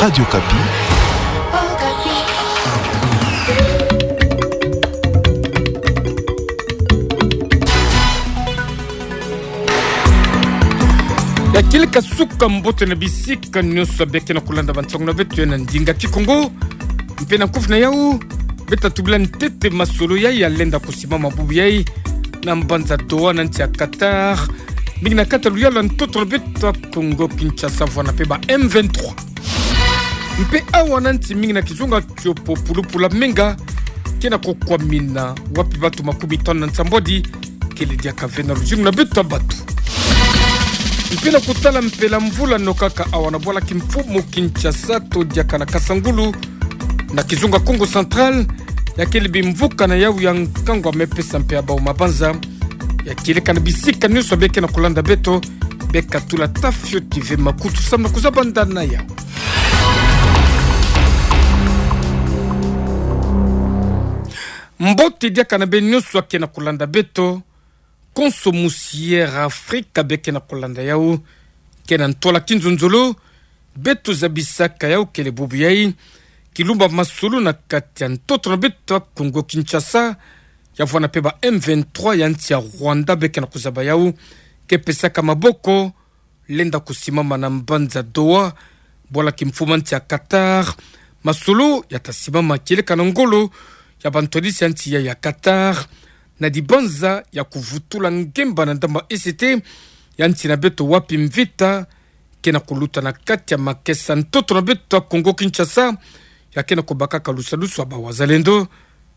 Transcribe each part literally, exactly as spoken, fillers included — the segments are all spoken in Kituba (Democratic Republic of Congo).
Radio Okapi. Ya kieleka suka mbote na bisika nyonso beke na kulanda bansango na beto ya na ndinga Kikongo. Mpe na kufi na yau, beta tubila ntete masolo yai ya lenda kusimama bubu yai na mbanza Doha na nsi ya Qatar, mingi na kati ya luyalu ya ntoto na beto ya Kongo Kinshasa, vwanda mpe ba M vingt-trois. Mpe awa na nsi mingi na kizunga tiopo, pulupulu ya menga ke na kukwamina, wapi batu makumi tanu na nsambwadi kele diaka ve na luzingu na beto ya batu. Mpe na kutala mpela mvula nokaka awa na bwala kimfumu Kinshasa to diaka na Kasangulu, na kizunga Kongo Central, ya kele bimvuka na yau ya nkangu ya mepesa mpe ya bau mabanza. Ya kieleka na bisika nyonso beke na kulanda beto, beka tula ta fioti ve makutu samu na kuzaba ndana yau. Mbote diaka na beno nyonso ake na kulanda beto. Konso musi Air Africa beke na kulanda yau, ke na ntwala kinzonzolo, beto zabisaka yau kele bubu yai, kilumba masolo na kati ya ntoto na beto ya Kongo Kinshasa, ya vwanda mpe ba M vingt-trois ya nsi ya Rwanda beke na kuzaba yau, ke pesaka maboko, lenda kusimama na mbanza Doha, bwala kimfumu ya nsi ya Qatar. Masolo ya ta simama kieleka na ngolo ya bantwadisi ya nsi ya, ya Qatar, na dibanza ya kuvutula ngemba na ndambu ya E C T ya nsi na beto, wapi mvita ke na kuluta na kati ya makesa ntoto na beto ya Kongo Kinshasa, ya ke na kubakaka lusadusu ya ba wazalendo.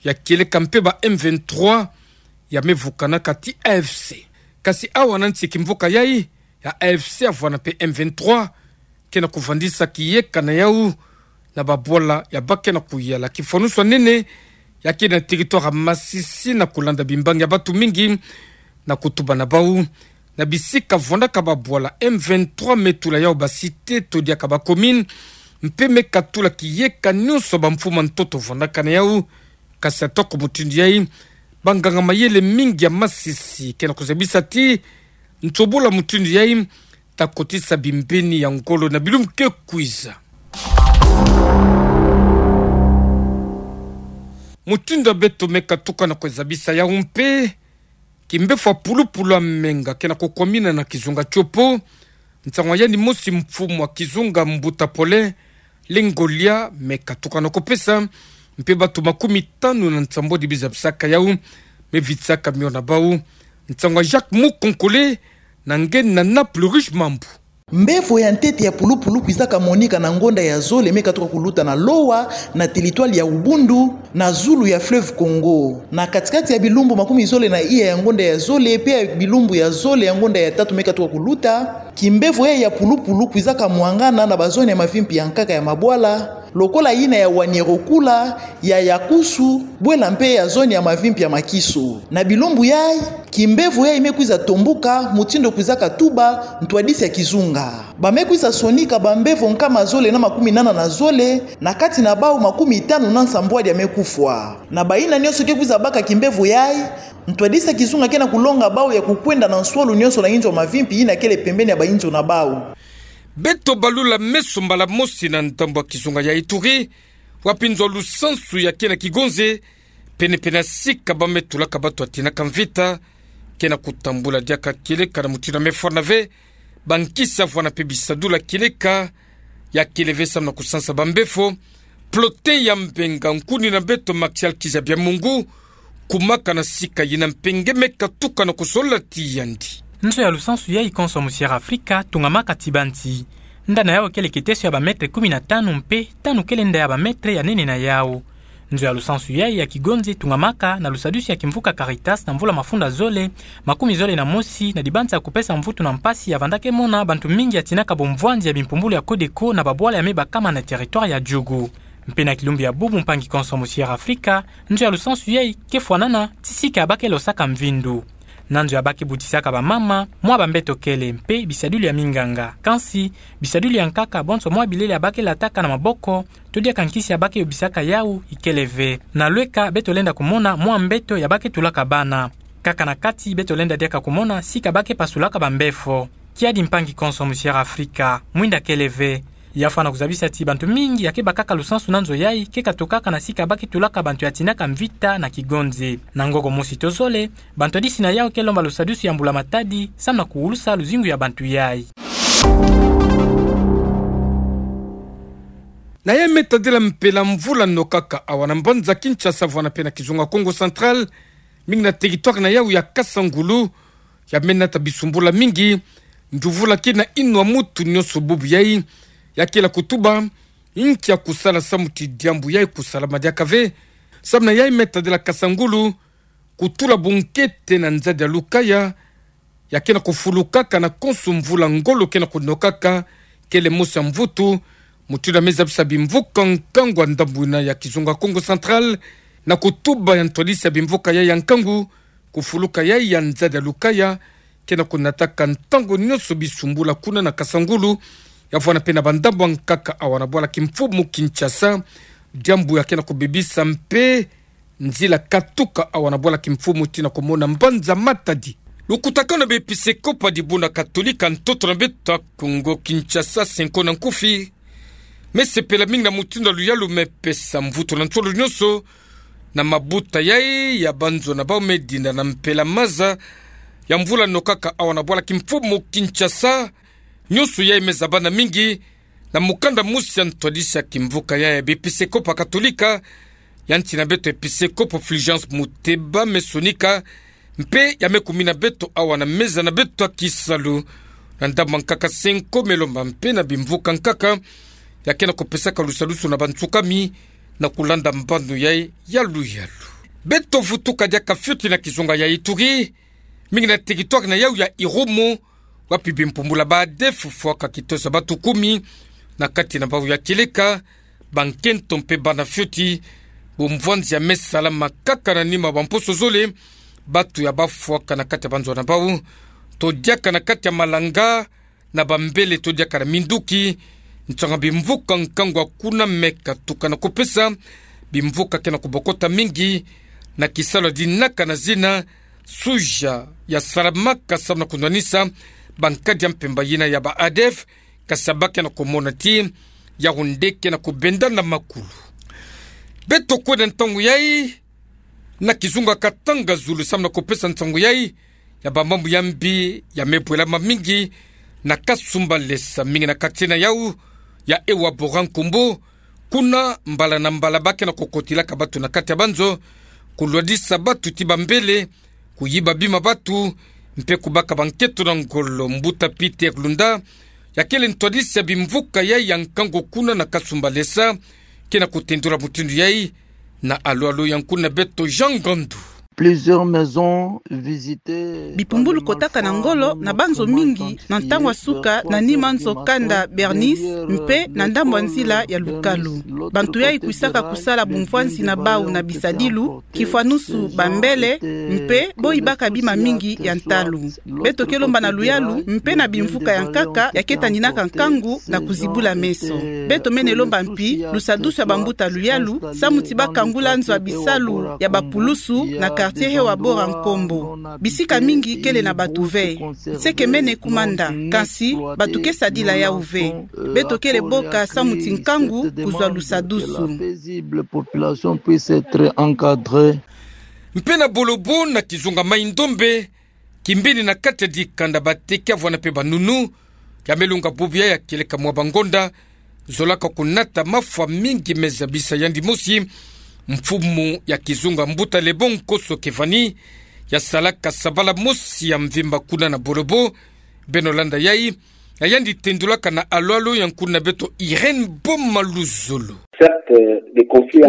Ya kieleka mpe ba M vingt-trois ya me vukanaka ti A F C. Kasi awa na nsi kimvuka yai, ya A F C ya vwanda mpe M vingt-trois, ke na kuvandisa kiyeka na yau na babwala ya bake na kuyala. Kifwanusu ya nene ya ke na territoire ya Masisi na kulanda bimbangi ya batu mingi na kutuba na bau. Na bisika vwandaka babwala, M vingt-trois me tula yau ba cité to diaka ba commune, mpe me katula kiyeka nyonso bamfumu ya ntoto vwandaka na yau. Kasi atoko mutindu yai, banganga mayele mingi ya Masisi ke na kuzabisa ti ntobola mutindu yai ta kotisa bimbeni ya ngolo na bilumbu ke kwiza. Mutindu ya beto me katuka na kuzabisa yau mpe, kimbefo ya pulupulu ya menga ke na kukwamina na kizunga tiopo. Nsangu ya yandi mosi, mfumu ya kizunga Mbuta Paulin Lengolia, me katuka na kupesa, mpe batu makumi tanu na nsambwadi bizabisaka yau, me vitisaka mio na bau. Nsangu ya Jacques Mukonkole, na nge na Naples Riche Mambu. Mbevo ya ntete ya pulupulu kwizaka monika na ngonda ya zole me katuka kuluta na Lowa, na territoire ya Ubundu, na zulu ya fleuve Congo. Na katikati ya bilumbu makumi zole na iya ya ngonda ya zole, mpe ya bilumbu ya zole ya ngonda ya tatu me katuka kuluta, kimbevo yai ya pulupulu kwizaka mwangana na bazone ya mavimpi ya nkaka ya mabwala, lokola yina ya Wanyerokula, ya Yakusu, bwela mpe ya zone ya mavimpi ya Makiso. Na bilumbu yai, kimbevo yai me kwiza tombuka, mutindu kwizaka tuba ntwadisi ya kizunga. Ba me kwiza sonika bambevo nkama zole na makumi nana na zole, na kati na bau makumi tanu na nsambwadi ya me kufwa. Na bayina nyonso ke kwiza baka kimbevo yai, ntwadisi ya kizunga ke na kulonga bau ya kukwenda na nswalu nyonso na inzo ya mavimpi yina kele pembeni ya bainzo na bau. Beto balula meso mbala mosi na ndambu ya kizunga ya Ituri, wapi nzo ya lusansu ya ke na kigonze, pene-pene ya sika ba me tulaka batu ya tinaka mvita, ke na kutambula diaka kieleka na mutindu ya me fwana ve, bankisi ya vwanda mpe bisadulu ya kieleka, ya kele ve samu na kusansa bambefo. Plotin ya Mbenga, nkuni na beto Martial Kizabia Mungu, kumaka na sika yina mpe nge me katuka na kusolola ti yandi. Nzo ya lusansu yai konso mu Sierra Afrika tungamaka ti banti. Nda na yau kele kiteso ya ba mètre kumi na tanu mpe tanu kele nda ya ba mètre ya nene na yau. Nzo ya lusansu yai ya kigonze tungamaka na lusadusu ya kimvuka Caritas na mvula mafunda zole, makumi zole na mosi, na dibanza ya kupesa mvutu na mpasi ya vanda ke mona bantu mingi ya tinaka bomvwanzi ya bimpumbulu ya Codeco na babwala ya me bakama na territoire ya Djugu. Mpe na kilumbu ya bubu, mpangi konso mu Sierra Afrika, nzo ya lusansu yai ke fwanana ti sika ya ba ke losaka mvindu. Na nzo ya ba ke butisaka bamama, mwa bambeto kele mpe bisadulu ya minganga. Kansi, bisadulu ya nkaka bonso mwa bilele ya ba ke lataka na maboko, to diaka nkisi ya ba ke yobisaka yau, ikele ve. Na lweka beto lenda kumona mwa mbeto ya ba ke tulaka bana. Kaka na kati beto lenda diaka kumona sika ba ke pasulaka bambefo. Kiadi, mpangi konso mu Sierra Afrika, mwinda kele ve. Ya fwana kuzabisa ti bantu mingi ya ke bakaka lusansu na nzo yayi, ke katukaka na sika ba ke tulaka bantu ya tinaka mvita na kigonze. Na ngoko mosi to zole, bantu ya disi na yawu ke lomba lusadusu ya mbula matadi, samu na kuwulusa luzingu ya bantu yayi. Na yayi me tadila mpela mvula nokaka awa na mbanza Kinshasa vwana pe na kizunga Kongo Central, mingi na territoire na yawu ya Kasangulu, ya me nata bisumbula mingi, nduvula ke na inwa mutu nyonso bubu yayi, ya kela kutuba, nkia kusala samu ti diambu yayi kusalama diaka ve, samu na yayi me tadila Kasangulu, kutula bunkete na nzadi ya lukaya, ya ke na kufulukaka na konso mvula ngolo ke na kunokaka, kele mosi ya mvutu, mutindu ya me zabisa bimvuka nkangu ya ndambu ina ya kizunga Kongo Central, na kutuba ya ntwadisi ya bimvuka yayi ya nkangu, kufuluka yayi ya nzadi ya lukaya, ke na kunataka ntangu nyonso bisumbula kuna na Kasangulu, ya vwana pe na bandambu ya nkaka awa na bwala kimfumu Kinshasa, diambu ya ke na kubebisa mpe nzila katuka awa na bwala kimfumu tii na kumona mbanza Matadi. Lukutakanu ya baepisekopo ya dibundu katolika ntoto na beto ya Kongo Kinshasa, Cenco na nkufi, me sepela mingi na mutindu ya luyalu me pesa mvutu na nsolo nyonso na mabuta yayi ya banzo na bawu me dinda na mpela maza ya mvula nokaka awa na bwala kimfumu Kinshasa. Nyonso yayi me zabana mingi na mukanda mosi ya ntwadisi ya kimvuka yayi ya baepisekopo ya katolika, ya nti na beto episekopo Fulgence Muteba me sonika, mpe ya me kumina beto awa na meza na beto ya kisalu. Na ndambu ya nkaka Cenco me lomba mpe na bimvuka nkaka ya ke na kupesaka lusadusu na bansukami na kulanda mbano yayi ya luyalu. Beto vutuka diaka fioti na kizunga ya Ituri, mingi na territoire na yawu ya Irumu, wapi bimpumbulu ya ba ADF fwaka kitosa batu kumi na kati na bawu ya kieleka, bankento mpe bana fioti. Bumvwanzi ya me salama kaka na nima bamposo zole, batu ya bafwaka na kati ya banzo na bawu, to diaka na kati ya malanga, na bambele to diaka na minduki. Nsanga bimvuka nkangu ya kuna me katuka na kupesa, bimvuka ke na kubokota mingi na kisalu ya dinaka na zina suja ya salamaka samu na kunwanisa bankadi ya mpemba yina ya ba ADF, kasi ya ba ke na kumona ti yawu nde ke na kubenda na makulu. Beto kwenda ntangu yayi na kizunga Katanga Zulu samu na kupesa nsangu yayi ya bamambu ya mbi ya me bwelama mingi na Kasumbalesa, mingi na quartier na yawu ya Ewa Bora Nkombo. Kuna mbala na mbala ba ke na kukotilaka batu na kati ya banzo, kulwadisa batu ti bambele, kuyiba bima batu, mpe kubaka bankento na ngolo. Mbuta Peter Lunda, ya kele ntwadisi ya bimvuka yayi ya nkangu kuna na Kasumbalesa, ke na kutendula mutindu yayi na alu alu ya nkuna beto Jean Ngandu. Plusieurs maisons visitées. Bipumbulu kotaka na ngolo na banzo mingi na ntangu ya suka na nima nzo kanda Bernice mpe na ndambu ya nzila ya Lukalu. Bantu yayi kwisaka kusala bumvwanzi na bawu na bisadilu, kifwanusu bambele, mpe bo yibaka bima mingi ya ntalu. Beto ke lomba na luyalu mpe na bimvuka ya nkaka ya ke tandinaka nkangu na kuzibula meso. Beto mene lomba mpi lusadusu ya bambuta luyalu samu ti ba kangula nzo ya bisalu ya bapulusu na quartier Ewa Bora Nkombo. Bisika mingi kele na batu ve. Nseke mene ku manda, kansi batu ke sadila yawu ve. Beto kele boka samu ti nkangu kuzwa lusadusu. Mpe na Bolobo na kizunga Mai-Ndombe, kimbeni na kati ya dikanda, bateke, avwanda mpe banunu, ya me lunga bubu yayi ya kieleka mwa bangonda, zolaka kunata mafwa mingi me zabisa yandi mosi mfumu ya kizunga, mbuta Lebon Koso Kevani, ya salaka sabala mosi ya mvimba kuna na Bolobo. Beno landa yayi, ya yandi tendulaka na alu alu ya nkuna beto Irène Boma Luzolo.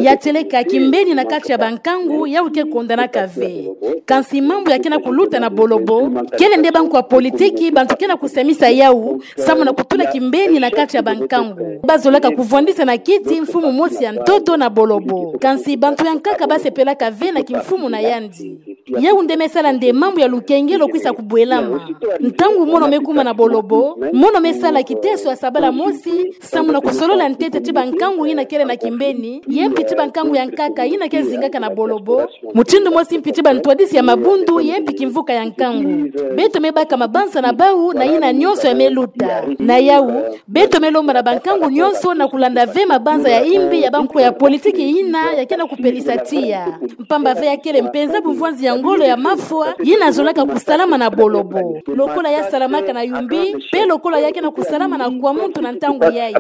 Ya tieleka kimbeni na kati ya bankangu, yawu ke kondanaka ve. Kansi mambu ya ke na kuluta na Bolobo kele nde banko ya politiki, bantu ke na kusamisa yawu samu na kutula kimbeni na kati ya bankangu. Ba zolaka kuvwandisa na kiti mfumu mosi ya ntoto na Bolobo. Kansi bantu ya nkaka ba sepelaka ve na kimfumu na yandi. Yau nde mesala nde mambu ya lukengelo kwisa kubwelama. Ntangu mono mekuma na bolobo, mono mesala kiteso ya sabala mosi, samu na kusolola ntete ti bankangu yina kele na kimbeni, ye mpi ti bankangu ya nkaka yina ke zingaka na bolobo, mutindu mosi mpi ti bantwadisi ya mabundu, ye mpi kimvuka ya nkangu. Beto mebaka mabanza na bau na yina nyonso ya meluta. Na yau, beto melomba na bankangu nyonso na kulanda ve mabanza ya imbi ya banko ya politiki yina ya ke na kupelisa tiya. Mpamba ve ya kele mpenza bumvwanzi ya ngolo ya mafwa, yina zolaka kusalama na bolobo. Lokola ya salamaka na Yumbi, mpe lokola ya ke na kusalama na Kwamuntu na ntangu yayi.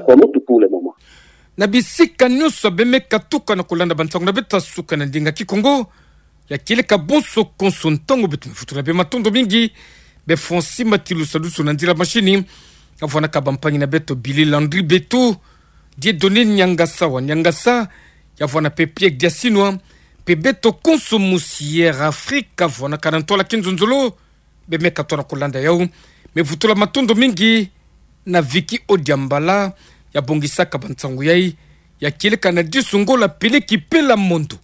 Na bisika nyonso bemeka tuka na kulanda bansangu na beto ya suka na ndinga Kikongo, ya kieleka bonso konso ntangu beto mevutula bematondo mingi, be Francis Matilu Sadusu na nzila mashini, ya vwanaka bampangi na beto Billy Landry Beto, Dieudonné Niangasa wa Niangasa, ya vwana mpe Pierre Diasinwa, mpe beto konso mu Sièr Afrika, vwanaka na ntwala kinzonzolo, bemeka tona kulanda yau, mevutula matondo mingi na Vicky Odiambala, ya bongisaka bansangu yayi, ya kieleka na disu ngola peleki pela mondo.